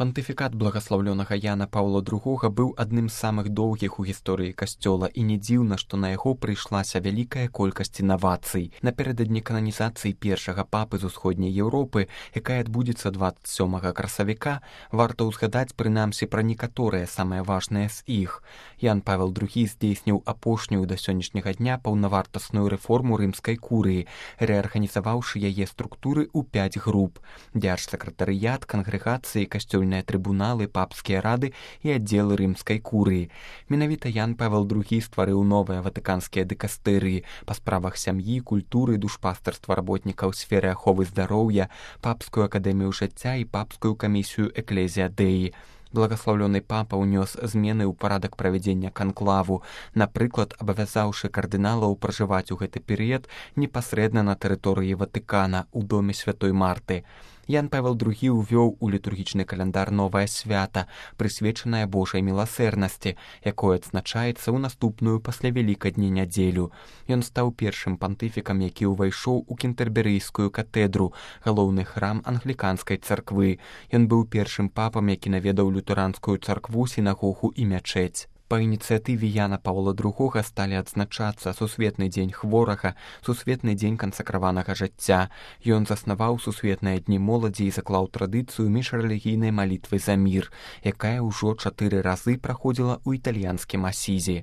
Пантыфікат благаслаўлёнага Яна Паўла II быў адным з самых доўгіх у гісторыі касцёла, і не дзіўна, што на яго прыйшлася вялікая колькасць інавацый. Напярэдадні кананізацыі першага папы з усходняй Еўропы, якая адбудзецца 27 красавіка, варта ўзгадаць прынамсі пра некаторыя самыя важныя з іх. Ян Павел II здзейсніў апошнюю да сённяшняга дня паўнавартасную рэформу рымскай курыі, рэарганізаваўшы яе структуры ў 5 груп: дзяржсакратарыят, кангрэгацыі, касцёльныя трыбуналы, папскія рады і аддзелы рымскай курыі. Менавіта Ян Павел II стварыў новыя ватыканскія дыкастэрыі па справах сям'і, культуры, душпастарства работнікаў сферы аховы здароўя, папскую акадэмію жыцця і папскую камісію Экклезія Дэі. Благаслаўлёны папа ўнёс змены ў парадак правядзення канклаву, напрыклад, абавязаўшы кардыналаў пражываць у гэты перыяд непасрэдна на тэрыторыі Ватыкана ў доме святой Марты. Ян Павел II увёў у літургічны каляндар новае свята, прысвечанае Божай міласэрнасці, якое адзначаецца ў наступную пасля Вялікадня нядзелю. Ён стаў першым пантыфікам, які ўвайшоў у кентэрберыйскую катэдру, галоўны храм англіканскай царквы. Ён быў першым папам, які наведаў лютэранскую царкву, сінагогу і мячэць. Па ініцыятыве Яна Паўла II сталі адзначацца Сусветны дзень хворага, Сусветны дзень кансакраванага жыцця. Ён заснаваў Сусветныя дні моладзі і заклаў традыцыю міжрэлігійнай малітвы за мір, якая ўжо 4 разы праходзіла ў італьянскім Асізі.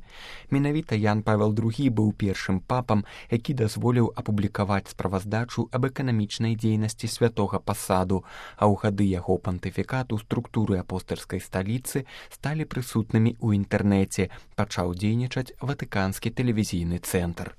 Менавіта Ян Павел II быў першым папам, які дазволіў апублікаваць справаздачу аб эканамічнай дзейнасці святога пасаду, а ў гады яго пантыфікату структуры апостальскай сталіцы сталі прысутнымі ў інтэрнэце. Пачаў дзейнічаць Ватыканскі тэлевізійны цэнтр.